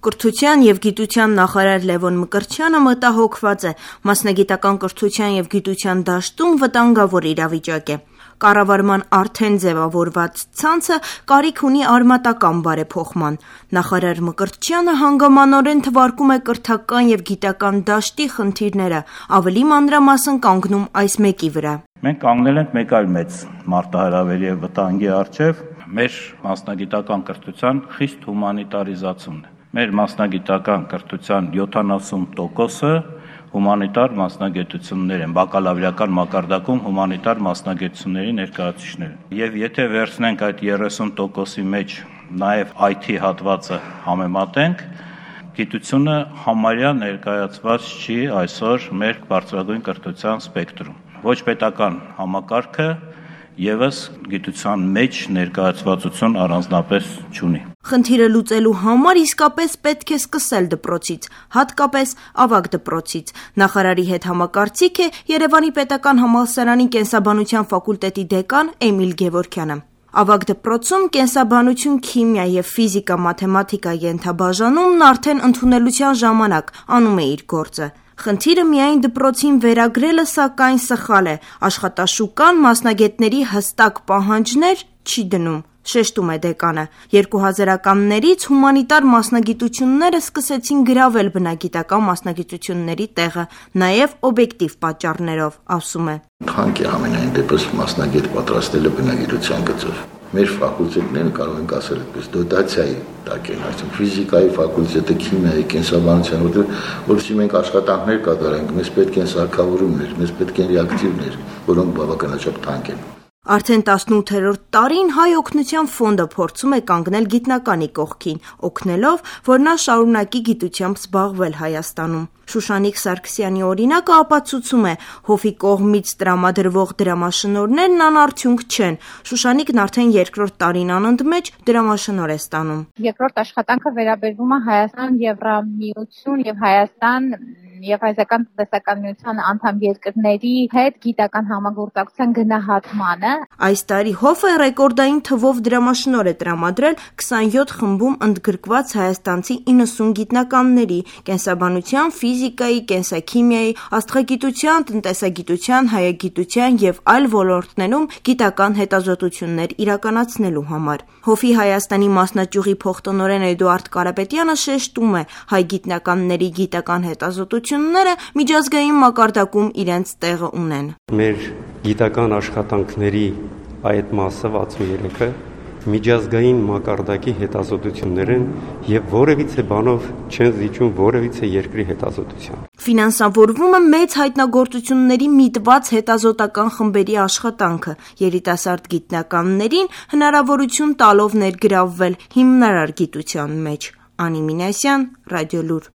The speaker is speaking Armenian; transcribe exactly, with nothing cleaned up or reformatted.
Կրթության և գիտության նախարար Լևոն Մկրտչյանը մտահոգված է, մասնագիտական կրթության և գիտության դաշտում վտանգավոր իրավիճակ է։ Կառավարման արդեն ձևավորված ցանցը կարիք ունի արմատական բարեփոխման։ Նախարար Մկրտչյանը հանգամանորեն թվարկում է կրթական և գիտական դաշտի խնդիրները, ավելի մանրամասն կանգնում այս մեկի վրա։ Մենք կանգնել ենք մեկ այլ մեծ մարտահրավերի և վտանգի առջև՝ մեր մասնագիտական կրթության խիստ հումանիտարիզացումն է։ Մեր մասնագիտական կրթության յոթանասուն տոկոսը հումանիտար մասնագիտություններ են, բակալավրիական մակարդակում հումանիտար մասնագիտությունների ներկայացուցիչներ են։ Եվ եթե վերցնենք այդ երեսուն տոկոսի մեջ նաև այ թի հատվածը համեմատենք, գիտությունը համարյա ներկայացված չի այսօր մեր բարձրագույն կրթության սպեկտրում։ Ոչ պետական համակարգը ևս գիտության մեջ ներկայացվածություն առանձնապես չունի։ Խնդիրը լուծելու համար իսկապես պետք է սկսել դպրոցից, հատկապես ավագ դպրոցից։ Նախարարի հետ համակարծիք է Երևանի պետական համալսարանի կենսաբանության ֆակուլտետի դեկան Էմիլ Գևորգյանը։ Ավագ դպրոցում կենսաբանություն, քիմիա և ֆիզիկա-մաթեմատիկա ենթաբաժանումն արդեն ընդունելության ժամանակ անում է իր գործը։ Խնդիրը միայն դպրոցին վերագրելը սակայն սխալ է, աշխատաշուկան մասնագետների հստակ պահանջներ չի դնում, շեշտում է դեկանը։ երկու հազարականներից հումանիտար մասնագիտությունները սկսեցին գրավել բնագիտական մասնագիտությունների տեղը, նաև օբյեկտիվ պատճառներով, ասում է։ Թանկ է ամենայն դեպս մասնագետ պատրաստելը բնագիտության գծով։ Մեր ֆակուլտետները կարող ենք ասել այդպես դոտացիայի տակ են, այսինքն ֆիզիկայի ֆակուլտետը, քիմիայի, կենսաբանության, որովհետեւ մենք աշխատանքներ կատարենք, մեզ պետք են սարքավորումներ, մեզ պետք են ռեակտիվներ, որոնք բավականաչափ թանկ են։ Արդեն տասնութերորդ տարին Հայ օգնության ֆոնդը փորձում է կանգնել գիտնականի կողքին, օգնելով, որ նա շարունակի գիտությամբ զբաղվել Հայաստանում։ Շուշանիկ Սարգսյանի օրինակը ապացուցում է, Հովի կողմից տրամադրվող դրամաշնորհներն անարդյունք չեն։ Շուշանիկն արդեն երկրորդ տարին անընդմեջ դրամաշնորհ է ստանում։ Երկրորդ աշխատանքը վերաբերվում է Հայաստան, Եվրամիություն եւ Հայաստան եւ Հայաստան տնտեսական միության անդամ երկրների հետ գիտական համագործակցության գնահատմանը։ Այս տարի Հովը ռեկորդային թվով դրամաշնորհ է տրամադրել քսանյոթ խմբում ընդգրկված հայաստանցի իննսուն գիտնականների՝ կենսաբանության, ֆիզիկայի, կենսաքիմիայի, աստղագիտության, տնտեսագիտության, հայագիտության եւ այլ ոլորտներում գիտական հետազոտություններ իրականացնելու համար։ Հովի Հայաստանի մասնաճյուղի փոխտնօրեն Էդուարդ Կարապետյանը շեշտում է, հայ գիտնականների գիտական հետազոտությունները միջազգային մակարդակում իրենց տեղը ունեն։ Մեր գիտական աշխատանքների այդ մասը վաթսուներեքը միջազգային մակարդակի հետազոտություններ են եւ որևիցե բանով չեն զիջում որևիցե երկրի հետազոտության։ Ֆինանսավորվում է մեծ հայտնագործությունների միտված հետազոտական խմբերի աշխատանքը, երիտասարդ գիտնականներին հնարավորություն տալով ներգրավվել հիմնարար գիտության մեջ։ Անի Մինասյան, Ռադիոլուր։